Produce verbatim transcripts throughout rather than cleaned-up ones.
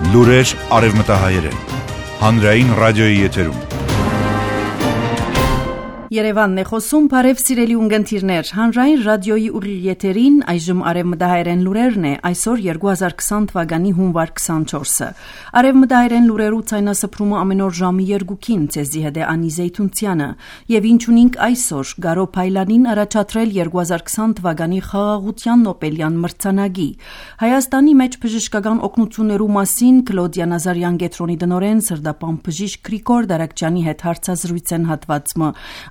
Լուրեր արևմտահայերեն, հանրային ռադիոյի եթերում։ Երևանն է խոսում, բարև սիրելի ունգընտիրներ, հանրային ռադիոյի ուղիղ եթերին այժմ արևմտահայերեն լուրերն է, այսօր երկու հազար քսան թվականի հունվար քսանչորսը։ Արևմտահայերեն լուրերու ցայնասփռումը ամեն օր ժամի երկուքին ցեզի հետ է Անի Զեյթունցյանը, եւ ինչ ունենք այսօր, Գարո Փայլանին առաջադրել երկու հազար քսան թվականի խաղաղության Նոբելյան մրցանակի։ Հայաստանի մեջ բժշկական օգնություններու մասին Կլոդիա Նազարյան Գետրոնի դնորեն սրդապան բժիշկ Գրիգոր Դարակչյանի հետ հարցազրույց են հատվածը։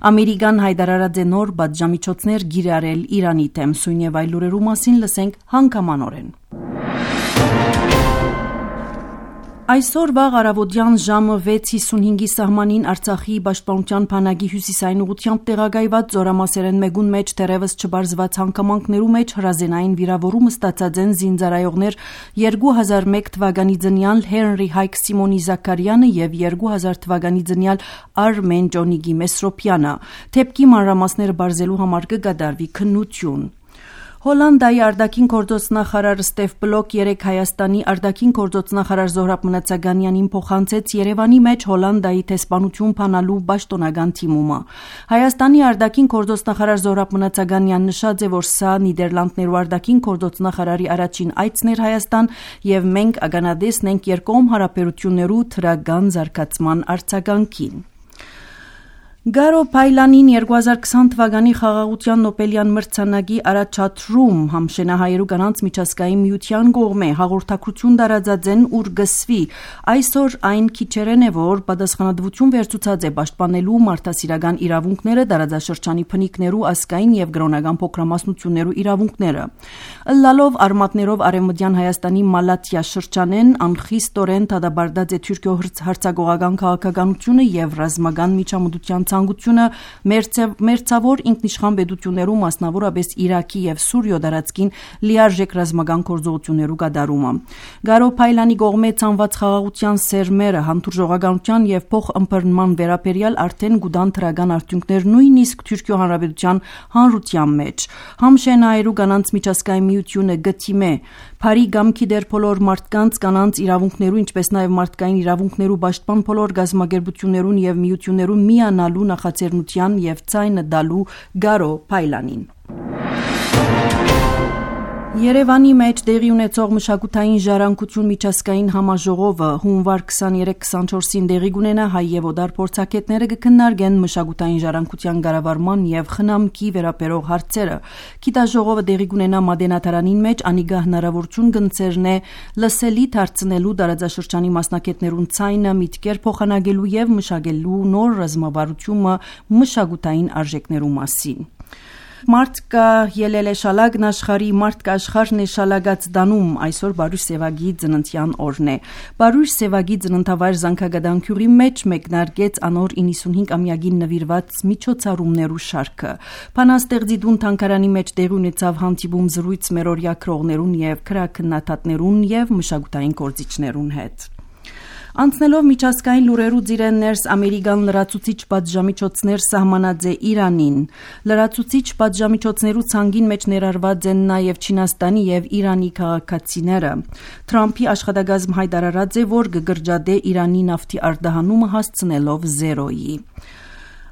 Ամերիկան հայտարարած է նոր պատժամիջոցներ գիրառել Իրանի դեմ, սույն եւ այլ լուրերու մասին լսենք հանգամանորեն։ Այսօր վաղ առավոտյան ժամը վեց հիսունհինգի սահմանին Արցախի պաշտպանության բանակի հյուսիսային ուղղությամբ տեղակայված զորամասերեն մեկուն մեջ դեռևս չբարձված հանգամանքներու մեջ հրազենային վիրավորում ստացած են զինծառայողներ երկու հազար մեկ թվականի ծնյալ Հենրի Հայք Սիմոնի Զաքարյանը եւ երկու հազար թվականի ծնյալ Արմեն Ջոնիգի Մեսրոպյանը։ Թեփքի մանրամասները բարձելու համար կգադարվի քննություն։ Հոլանդիայի արտաքին գործոց նախարար Ստեֆ Բլոկ երեկ Հայաստանի արտաքին գործոց նախարար Զոհրաբ Մնացականյանին փոխանցեց Երևանի մեջ Հոլանդիայի տեսփանություն փանալու պաշտոնական թիմումը։ Հայաստանի արտաքին գործոց նախարար Զոհրաբ Մնացականյանն նշած է, որ սա Նիդերլանդներու արտաքին գործոց նախարարի առաջին այցն էր Հայաստան եւ մենք ականատեսն ենք երկկողմ հարաբերություններու թրական զարգացման արձագանքին։ Գարո Փայլանին երկու հազար քսան թվականի խաղաղության Նոբելյան մրցանակի առաջադրում համշենահայերու կանանց միջազգային միության կողմէ հաղորդակցություն տարածած են ուր գսվի։ Այսօր այն քիչերեն է, որ պատասխանատվություն վերցուցած է պաշտպանելու մարդասիրական իրավունքները, տարածաշրջանի բնիկներու ազգային եւ կրոնական փոքրամասնություններու իրավունքները։ Ըլլալով արմատներով արևմտյան Հայաստանի Մալաթիա շրջանեն անխիստորեն դադարեցած է Թուրքիո հարձակողական քաղաքականությունը եւ ռազմական միջամտության ցանկությունը մերձավոր ինքնիշխան պետություններու մասնավորապես Իրաքի եւ Սուրիո դարածքին լիարժեք ռազմական գործողություններու կատարումը։ Գարո Փայլանի կողմէ ցանված խաղաղության սերմերը հանդուրժողականության եւ փոխըմբռնման վերաբերյալ արդեն գուտան թրական արդյունքներ նույնիսկ Թուրքիո հանրապետության հանրության մեջ։ Համշենայերու կանանց միջազգային միությունը գտիմե Փարի գամքի դեր բոլոր մարդկանց կանանց իրավունքներու ինչպես նաեւ մարդկային իրավունքներու պաշտպան բոլոր գազམ་ագերբություններուն եւ միություններուն միանալու նախաձեռնության եւ ցայնը դալու Գարո Փայլանին։ Երևանի մեջ տեղի ունեցող մշակութային ժառանգություն միջազգային համաժողովը հունվար քսաներեք քսանչորսին տեղի կունենա հայ եւ օդար փորձագետները կքննարկեն մշակութային ժառանգության կառավարման եւ խնամքի վերաբերող հարցերը։ Գիտաժողովը տեղի կունենա Մատենադարանին մեջ անիգա հնարավորություն կընձեռնե լսելի դարձնելու տարածաշրջանի մասնակիցներուն ցայնը միտքեր փոխանակելու եւ մշակելու նոր ռազմավարությունը մշակութային արժեքներու մասին։ Մարտկա ելել է շալագն աշխարհի մարտկա աշխարհն է շալագած դանում այսօր Բարույր Սևագի ծննդյան օրն է։ Բարույր Սևագի ծննդավայր Զանգագադանքյուրի մեջ մեկնարկեց անոր իննսունհինգ ամյակին նվիրված միջոցառումներու շարքը։ Փանաստեղծի դուն թանգարանի մեջ տեղի ունեցավ հանդիպում զրույց մերօրյա քրողներուն եւ քրակնաթատներուն եւ մշակութային գործիչներուն հետ։ Անցնելով միջազգային լուրերու ծիրեն ներս ամերիկան լրացուցիչ պատժամիջոցներ սահմանած է Իրանին։ Լրացուցիչ պատժամիջոցներու ցանգին մեջ ներառված են նաև Չինաստանի եւ Իրանի քաղաքացիները։ Թրամփի աշխատակազմ հայտարարած է, որ կգրջադե Իրանի նավթի արտահանումը հասցնելով զերոյի։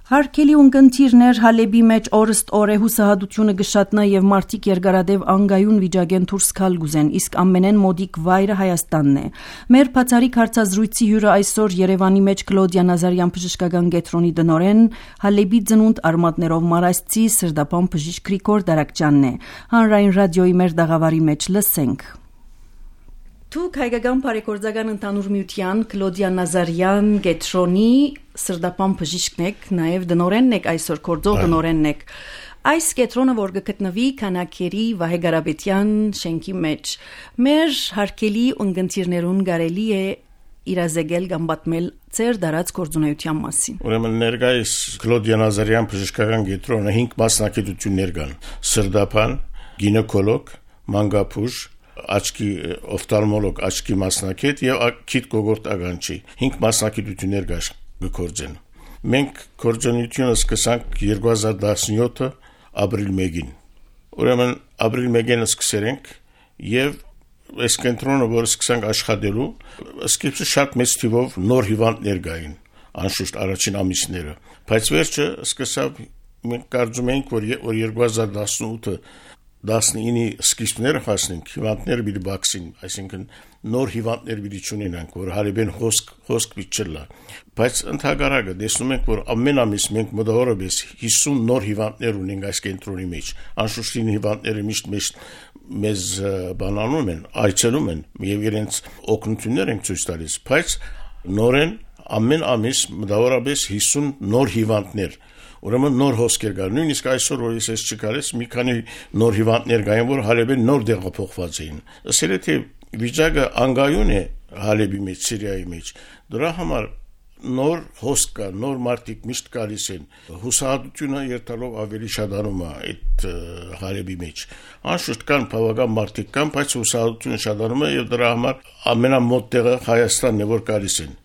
Հարկելի ունկնդիրներ Հալեբի մեջ օրստ օր է հուսահատությունը գշատնա եւ մարդիկ երկարադեվ անգայուն վիճակեն դուրս գալ գուզեն, իսկ ամենեն մոդիկ վայրը Հայաստանն է։ Մեր բացարիք հարցազրույցի հյուրը այսօր Երևանի մեջ Կլոդիա Նազարյան բժշկական կենտրոնի դնորեն Հալեբի ծնունդ արմատներով մարասցի սրդապան բժիշկ Գրիգոր Դարակչյանն է։ Հանրային ռադիոյի մեր դաղավարի մեջ լսենք։ Դուք հայկական բարեգործական ընդհանուր միության Կլոդիա Նազարյան Գետրոնի սրդապան բժիշկն եք, նաև դնորենն եք այսօր գործող դնորենն եք։ Այս կետրոնը, որ գտնվի Քանակերի Վահե Գարաբետյան շենքի մեջ, մեր հարկելի ունգընտիրներուն կարելի է իրազեկել կամ պատմել ծեր դարած գործունեության մասին։ Ուրեմն ներկայիս Կլոդիա Նազարյան բժշկական կետրոնը հինգ մասնակցություններ կան՝ սրդապան, գինեկոլոգ, մանկաբույժ, աչքի օֆթալմոլոգ, աչքի մասնակետ եւ քիթ կողորտ ագանչի հինգ մասնակցություններ կգործեն։ Մենք գործունեությունը սկսանք երկու հազար տասնյոթ ապրիլ մեկին։ Ուրեմն ապրիլ մեկին սկսել ենք եւ այս կենտրոնը, որ սկսանք աշխատելու, սկիզբը շատ մեծ թիվով նոր հիվանդներ կային, անշուշտ առաջին ամիսները, բայց վերջը սկսավ, մենք կարծում էինք, որ երկու հազար տասնութ տասնինի սկիզբները հասնենք, հիվանդները պիտի բացին, այսինքն նոր հիվանդներ պիտի չունենանք, որ հարաբեն խոսք խոսք պիտի բայց ընդհակառակը տեսնում ենք, որ ամեն ամիս մենք մոտավորապես հիսուն նոր հիվանդներ ունենք այս կենտրոնի մեջ, անշուշտ հիվանդները միշտ միշտ մեզ բանանում են, այցելում են եւ իրենց օգնություններ են ցույց տալիս, բայց նորեն ամեն ամիս մոտավորապես հիսուն նոր հիվանդներ Ուրեմն նոր հոսքեր կար, նույնիսկ այսօր որ ես չկարես, մի քանի նոր հիվանդներ կային, որ Հալեբին նոր տեղափոխված էին։ Ասել է, թե վիճակը անգայուն է Հալեբի մեջ, Սիրիայի մեջ։ Դրա համար նոր հոսք կա, նոր մարդիկ միշտ գալիս են։ Հուսահատությունը երթալով ավելի շատանում է այդ Հալեբի մեջ։ Անշուշտ կան բավական մարդիկ կան, բայց հուսահատությունը շատանում է եւ դրա համար ամենամոտ տեղը Հայաստանն է, որ գալիս են,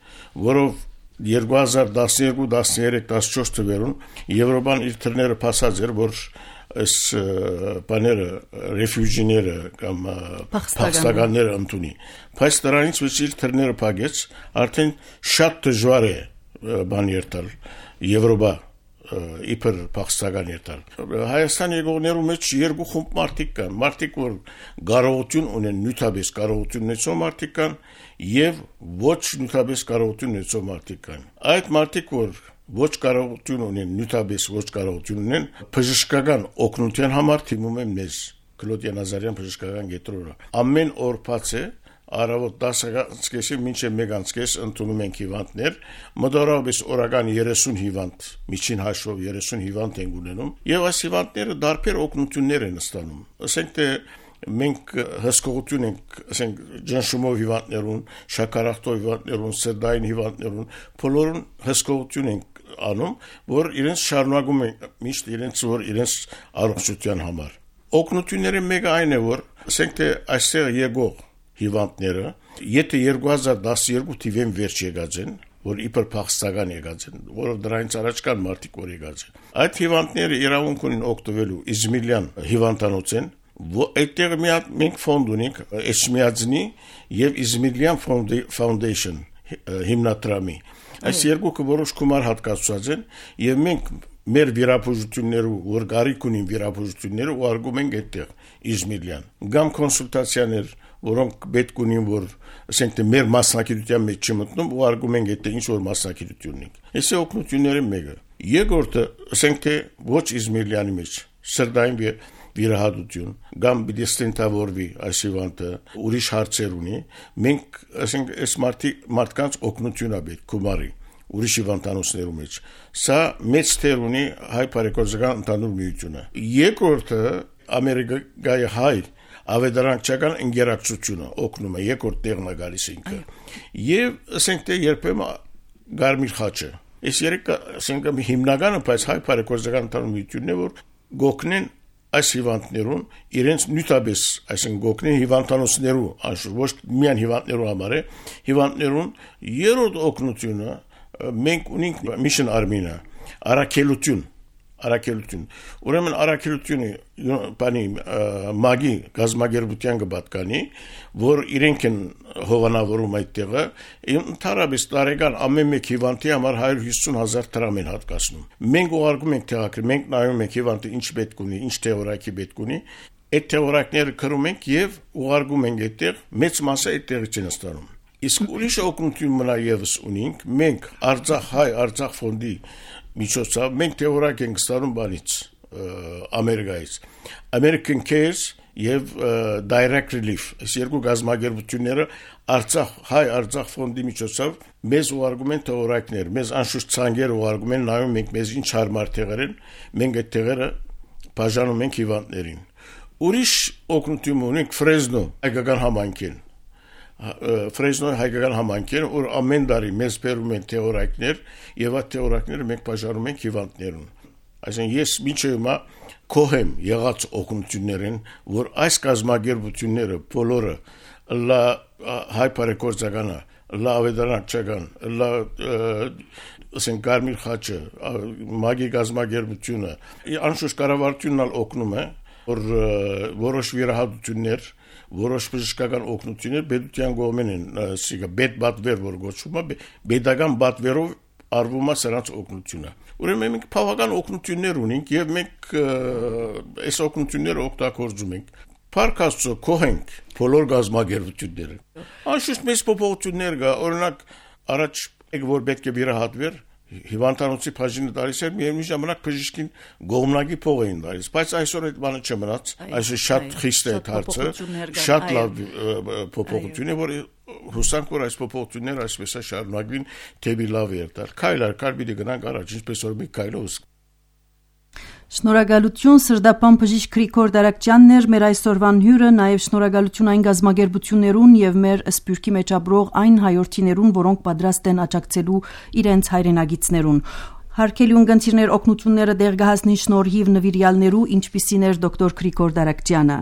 որով երկու հազար տասնյոթ, տասներեք, տասնչորս թվերուն Եվրոպան իր թռները փասած էր, որ այս բաները ռեֆյուջիները կամ փախստականները ընդունի։ Բայց դրանից ոչ իր թռները փակեց, արդեն շատ դժվար է բան երթալ Եվրոպա իբր փախստական երթալ։ Հայաստան եկողներու մեջ երկու խումբ մարդիկ կան, մարդիկ որ կարողություն ունեն, նյութաբես կարողություն ունեցող մարդիկ կան եւ ոչ նյութաբես կարողություն ունեցող մարդիկ կան։ Այդ մարդիկ որ ոչ կարողություն ունեն, նյութաբես ոչ կարողություն ունեն, բժշկական օգնության համար թիմում են մեզ Կլոդիա Նազարյան բժշկական կենտրոնը։ Ամեն օր բաց է Արավոտ տասը մինչև մեկ անցկես ընդունում ենք հիվանդներ, մոտավորապես օրական երեսուն հիվանդ, միջին հաշվով երեսուն հիվանդ են ունենում, եւ այս հիվանդները դարբեր օգնություններ են ստանում։ Ասենք թե մենք հսկողություն ենք, ասենք ջնշումով հիվանդներուն, շաքարախտով հիվանդներուն, սրտային հիվանդներուն, բոլորուն հսկողություն ենք անում, որ իրենց շարունակում են միշտ իրենց որ իրենց առողջության համար։ Օգնությունները մեկը այն է, որ ասենք թե այստեղ եկող հիվանդները, եթե երկու հազար տասնյոթ թիվեն վերջ եկած են, որ իբր փախստական եկած են, որով դրանից առաջ կան մարդիկ որ եկած են։ Այդ հիվանդները իրավունք ունեն օգտվելու Իզմիլյան հիվանդանոց են, այդտեղ մի հատ մենք ֆոնդ ունենք, Էչմիածնի եւ Իզմիլյան Foundation հիմնադրամի։ Այս երկուքը որոշ գումար հատկացված են եւ մենք մեր վիրաբուժություններու, որ գարիք ունին վիրաբուժությունները ուղարկում ենք այդտեղ Իզմիլյան։ Գամ կոնսուլտացիաներ, որոնք պետք ունին, որ ասենք թե մեր մասնակցության մեջ չմտնում, ուղարկում ենք այդտեղ ինչ որ մասնակցություն ունենք։ Այսի օգնությունները մեկը։ Երկրորդը, ասենք թե ոչ Իզմիլյանի մեջ սրտային վիրահատություն, կամ պիտի ստենտավորվի այս հիվանդը, ուրիշ հարցեր ունի, մենք ասենք այս մարդկանց օգնություն է պետք գումարի ուրիշ հիվանդանոցներու մեջ։ Սա մեծ թեր ունի հայ բարեգործական ընդհանուր միությունը։ Երկրորդը Ամերիկայի հայ ավետարանչական ինտերակցիոնը օգնում է երկրորդ տեղն է գալիս ինքը։ Եվ ասենք թե երբեմն Գարմիր խաչը։ Այս երեք ասենք հիմնականը բայց հայ բարեգործական ընդհանուր միությունն է, որ գոքնեն այս հիվանդներուն իրենց նյութաբես, այսինքն գոքնեն հիվանդանոցներու, անշուշտ ոչ միայն հիվանդներու համար է, հիվանդներուն երրորդ օգնությունը մենք ունենք Mission Army-ը, առաքելություն, առաքելություն։ Ուրեմն առաքելությունը բանի մագի գազագերբության կպատկանի, որ իրենք են հովանավորում այդ տեղը, ընդհանրապես տարեկան ամեն մեկ հիվանդի համար հարյուր հիսուն հազար դրամ են հատկացնում։ Մենք ուղարկում ենք տեղակը, մենք նայում ենք հիվանդը ինչ պետք ունի, ինչ թեորակի պետք ունի, այդ թեորակները կրում ենք եւ ուղարկում ենք այդտեղ, մեծ մասը այդտեղից են ստանում։ Իսկ ուրիշ օգնություն մնա եւս ունենք, մենք Արցախ հայ Արցախ ֆոնդի միջոցով մենք թեորակ ենք ստանում բանից Ամերիկայից American Cares եւ Direct Relief այս երկու գազագերբությունները Արցախ հայ Արցախ ֆոնդի միջոցով մեզ ուղարկում են թեորակներ, մեզ անշուշտ ցանկեր ուղարկում են, նայում ենք մեզ ինչ հարմար տեղեր են, մենք այդ տեղերը բաժանում ենք հիվանդներին։ Ուրիշ օգնություն ունենք Ֆրեզնո հայկական համայնքին Ֆրեզնոյի հայկական համայնքին, որ ամեն տարի մեզ բերում են թեորակներ եւ այդ թեորակները մենք բաժանում ենք հիվանդներուն։ Այսինքն ես մինչեւ հիմա կողեմ եղած օգնություններն, որ այս կազմակերպությունները բոլորը լա հայ բարեգործականը, լա ավետարանչական, լա ասենք Գարմիր խաչը, մագի կազմակերպությունը, անշուշտ կառավարությունն ալ օգնում է, որ որոշ վիրահատություններ, որոշ բժշկական օգնություններ պետության կողմեն են, ասիկա պետբատվեր որ գոչվում է, պետական բատվերով արվում է սրանց օգնությունը։ Ուրեմն մենք բավական օգնություններ ունենք եւ մենք այս օգնությունները օգտագործում ենք։ Փառք Աստծո, կողենք բոլոր գազագերբությունները։ Անշուշտ մեծ փոփոխություններ կա, օրինակ առաջ եք որ պետք է վիրահատվեր, հիվանդանոցի բաժինը տալիս էր, միևնույն ժամանակ բժիշկին գողմնակի փող էին տալիս, բայց այսօր այդ բանը չմնաց, այսօր շատ խիստ է հարցը, շատ լավ փոփոխություն է, որ հուսանք որ այս փոփոխությունները այսպես է շարունակվին, թեպի լավ երթալ։ Քայլ առ քայլ պիտի գնանք առաջ, ինչպես որ մի քայլով։ Շնորհակալություն Սրդապան բժիշկ Գրիգոր Դարակչյանն էր մեր այսօրվան հյուրը, նաև շնորհակալություն այն գազագերբություններուն եւ մեր սփյուռքի մեջ ապրող այն հայրենիներուն, որոնք պատրաստ են աջակցելու իրենց հայրենագիտներուն։ Հարկելի ունգընտիրներ օգնությունները դեր գահասնի շնորհիվ նվիրյալներու, ինչպիսին էր դոկտոր Գրիգոր Դարակչյանը։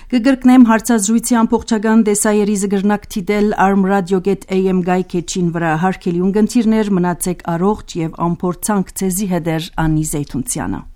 Կգրկնեմ հարցազրույցի ամբողջական դեսայերի զգրնակ թիդել armradio dot a m գայքեչին վրա հարկելի ունգընտիրներ մնացեք առողջ եւ ամփորձանք ցեզի հետեր Անի Զեյթունցյանը։